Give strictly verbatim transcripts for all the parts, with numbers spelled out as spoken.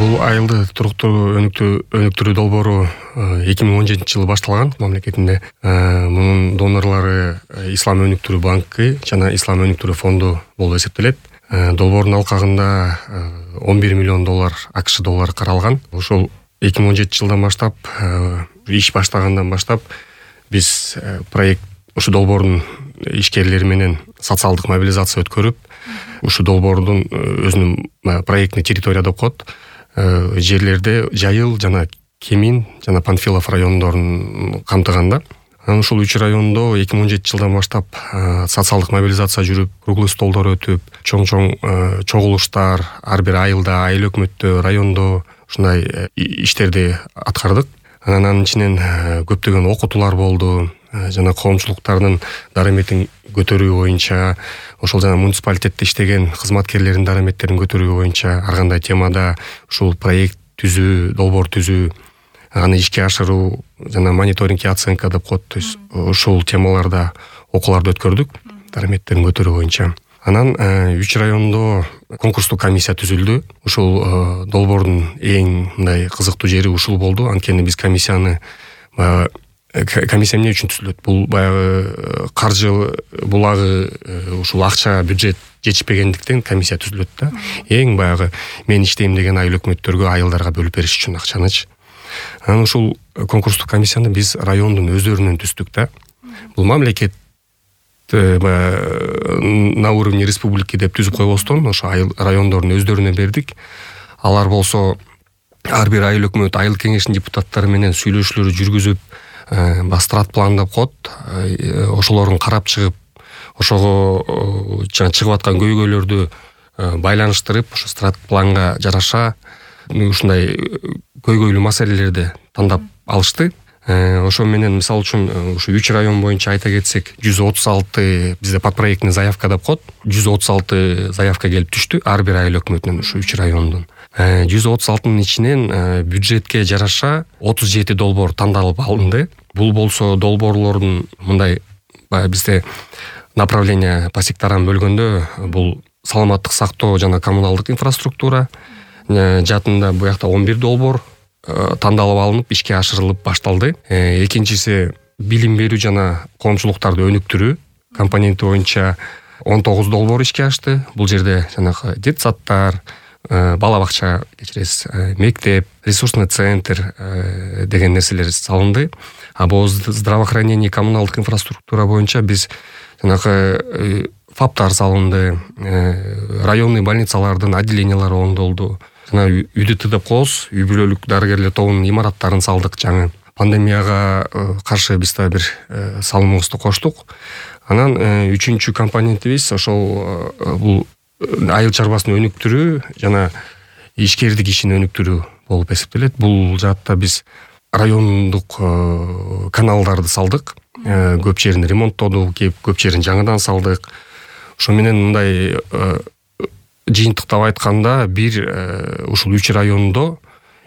Бул айылды туруктуу өнүктүрүү долбоору эки миң он жетинчи жылы башталган мамлекетинде. Мунун донорлору Ислам өнүктүрүү банкы жана Ислам өнүктүрүү фонду болуп эсептелет. Долбоордун алкагында он бир миллион доллар АКШ доллары каралган. Ошол эки миң он жетинчи жылдан баштап, иш баштагандан баштап биз проект ушу долбоордун ишкерлери менен социалдык мобилизация өткөрүп, ушу долбоордун өзүнүн проектный территория деп коет. Жерлерде Жайыл жана Кемин жана Панфилов райондорун камтыганда. Ушул үч райондо эки миң он жетинчи жылдан баштап социалдык мобилизация жүрүп, круглый столдор өтүп, чоң-чоң чогулуштар ар бир айылда, айыл өкмөттө, райондо ушундай иштерди аткардык. Анан анын ичинен көптөгөн окутуулар болду, жана коомчулуктардын дараметин көтөрүү боюнча, ошол жана муниципалитетте иштеген кызматкерлердин дараметтерин көтөрүү боюнча ар кандай темада ушул проект түзүү, долбоор түзүү, аны ишке ашыруу жана мониторинг и оценка деп коет. То есть ушул темаларда окууларды өткөрдүк, дараметтерин көтөрүү боюнча. Анан үч райондо конкурстук комиссия түзүлдү. Ушул долбоордун эң мындай кызыктуу жери ушул болду. Анткени биз комиссияны комиссия эмне үчүн түзүлөт? Бул баягы каржы булагы, ушул акча бюджет жетишпегендиктен комиссия түзүлөт да. Эң баягы мен иштейм деген айыл өкмөттөргө, айылдарга бөлүп бериш үчүн акчаныч. Анан ушул конкурстук комиссияны биз райондун өздөрүнөн түздүк да. Бул мамлекет на уровне республики деп түзүп койбостон, ошо райондордун өздөрүнө бердик. Алар болсо ар бир айыл өкмөт, айыл кеңешинин депутаттары менен сүйлөшүүлөр жүргүзүп, бастрат план деп коет. Ошолорун карап чыгып, ошого жана чыгып аткан көйгөйлөрдү байланыштырып, ошо страт планга жараша ушундай көйгөйлүү маселелерди тандап алышты. Ошо менен мисалы үчүн ушу үч район боюнча айта кетсек, жүз отуз алты бизде подпроектный заявка деп коет. жүз отуз алты заявка келип түштү ар бир айыл өкмөтүнөн, ушу үч райондун. жүз отуз алтынын ичинен бюджетке жараша отуз жети долбоор тандалып алынды. Бул болсо долбоорлордун мындай бизде направление по секторам бөлгөндө, бул саламаттык сактоо жана коммуналдык инфраструктура жаатында буякта он бир долбоор тандалып алынып, ишке ашырылып башталды. Экинчиси билим берүү жана коомчулуктарды өнүктүрүү компоненти боюнча он тогуз долбоор ишке ашты. Бул жерде жанагы детсадтар, бала бакча, кечиресиз, мектеп, ресурсный центр деген нерселер салынды. А бул здравоохранение, коммуналдык инфраструктура боюнча биз жанагы фаптар салынды, районный больницалардын отделениялары оңдолду. Жана ЮДТ деп коебуз, үй бүлөлүк дарыгерлер тобунун имараттарын салдык жаңы. Пандемияга каршы биз да бир салымыбызды коштук. Анан үчүнчү компонентибиз ошол бул айыл чарбасын өнүктүрүү жана ишкердик ишин өнүктүрүү болуп эсептелет. Бул жаатта биз райондук каналдарды салдык, көп жерин ремонттодук, көп жерин жаңыдан салдык. Ошо менен мындай жыйынтыктап айтканда, бир ушул үч райондо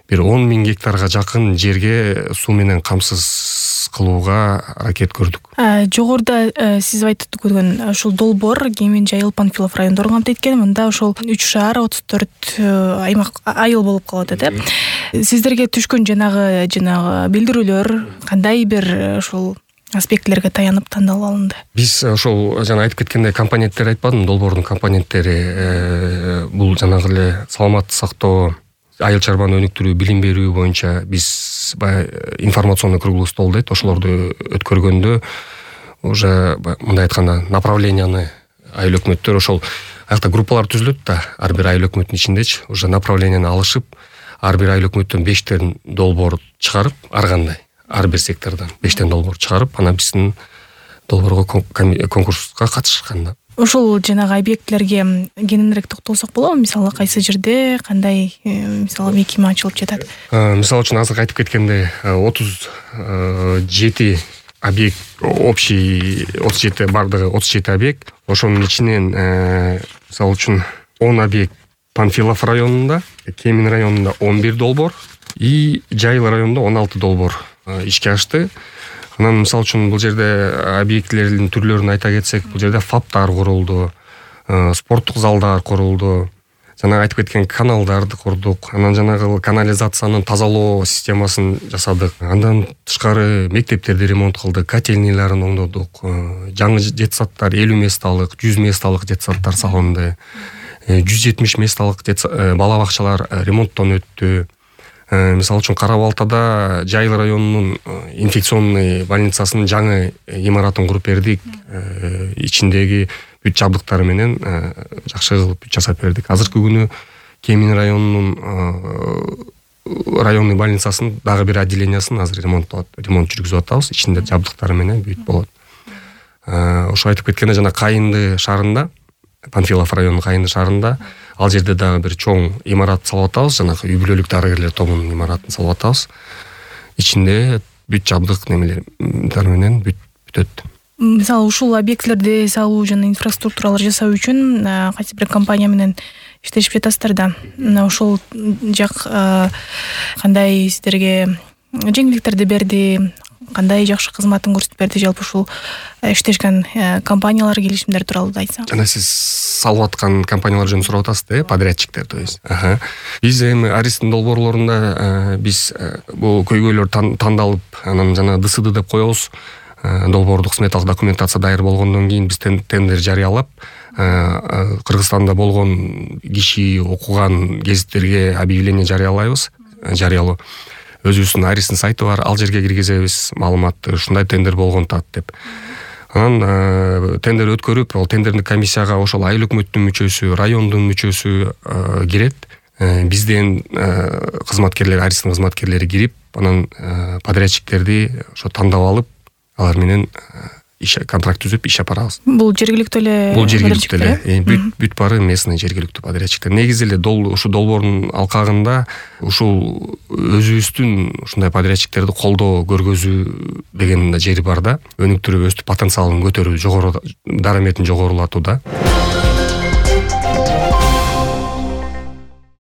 бир он миң гектарга жакын жерге суу менен камсыз кылууга аракет көрдүк. Жогоруда сиз айтып өткөн ушул долбоор Кемин, Жайыл, Панфилов райондорун камтыйт экен. Мында ошол үч шаар отуз төрт аймак айыл болуп калат эт. Сиздерге түшкөн жанагы жанагы билдирүүлөр кандай бир ушул аспектлерге таянып тандалып алынды? Биз ошол жана айтып кеткендей компоненттер айтпадым, долбоордун компоненттери бул жанагы эле саламаттык сактоо, айыл чарбаны өнүктүрүү, билим берүү боюнча биз баягы информационный круглый стол дейт, ошолорду өткөргөндө уже мындай айтканда направленияны айыл өкмөттөр ошол аякта группалар түзүлөт да, ар бир айыл өкмөттүн ичиндечи уже направленияны алышып, ар бир айыл өкмөттөн бештен долбоор чыгарып, ар кандай ар бир сектордон бештен долбоор чыгарып, анан биздин долбоорго конкурска катышканда. Ошол жанагы объектлерге кененирээк токтолсок болобу? Мисалы кайсы жерде кандай мисалы мекеме ачылып жатат? Мисалы үчүн азыр айтып кеткендей отуз жети объект, общий отуз жети бардыгы отуз жети объект. Ошонун ичинен мисалы үчүн он объект Панфилов районунда, Кемин районунда он бир долбоор и Жайыл районунда он алты долбоор ишке ашты. Анан мисалы үчүн бул жерде объектлердин түрлөрүн айта кетсек, бул жерде фаптар курулду, спорттук залдар курулду, жанагы айтып кеткен каналдарды курдук, анан жанагы канализациянын тазалоо системасын жасадык. Андан тышкары мектептерди ремонт кылдык, котельнийларын оңдодук, жаңы жетсаттар элүү месталык, жүз месталык жетсаттар салынды. жүз жетимиш месталык бала бакчалар ремонттон өттү. Мисалы үчүн Кара Балтада Жайыл районунун инфекционный больницасынын жаңы имаратын куруп бердик. Ичиндеги бүт жабдыктары менен жакшы кылып жасап бердик. Азыркы күнү Кемин районунун районный больницасынын дагы бир отделениясын азыр ремонт ремонт жүргүзүп атабыз. Ичинде жабдыктары менен бүт болот. Ошо айтып кеткенде жана Кайынды шаарында, Панфилов районунун Кайынды шаарында ал жерде дагы бир чоң имарат салып атабыз, жанагы үй бүлөлүк дарыгерлер тобунун имаратын салып атабыз. Ичинде бүт жабдык немелер менен бүт бүтөт. Мисалы ушул объектлерди салуу жана инфраструктуралар жасоо үчүн кайсы бир компания менен иштешип жатасыздар да. Ошол жак кандай сиздерге жеңилдиктерди берди, кандай жакшы кызматын көрсөтүп берди, жалпы ушул иштешкен компаниялар, келишимдер тууралуу да айтсаңыз. Жана сиз салып аткан компаниялар жөнүндө сурап атасыз да, подрядчиктер, то есть. Аха. Биз эми Аристин долбоорлорунда биз бул көйгөйлөр тандалып, анан жана ДСД деп коебуз. Долбоордук сметалык документация дайыр болгондон кийин биз тендер жарыялап, Кыргызстанда болгон киши окуган гезиттерге объявление жарыялайбыз, жарыялоо. Өзүбүздүн Аристин сайты бар, ал жерге киргизебиз маалыматты, ушундай тендер болгон тат деп. Анан тендер өткөрүп, ал тендердик комиссияга ошол айыл өкмөттүн мүчөсү, райондун мүчөсү кирет. Бизден кызматкерлер, Аристин кызматкерлери кирип, анан подрядчиктерди ошо тандап алып, алар менен иш контракт түзүп иш алып барабыз. Бул жергиликтүү эле Бул жергиликтүү эле, бүт бүт бары местный жергиликтүү подрядчиктер. Негизи эле дол ушу долбоордун алкагында ушул өзүбүздүн ушундай подрядчиктерди колдоо көргөзүү деген жери бар да. Өнүктүрүп, өстүп потенциалын көтөрүү, жогору дараметин жогорулатуу да.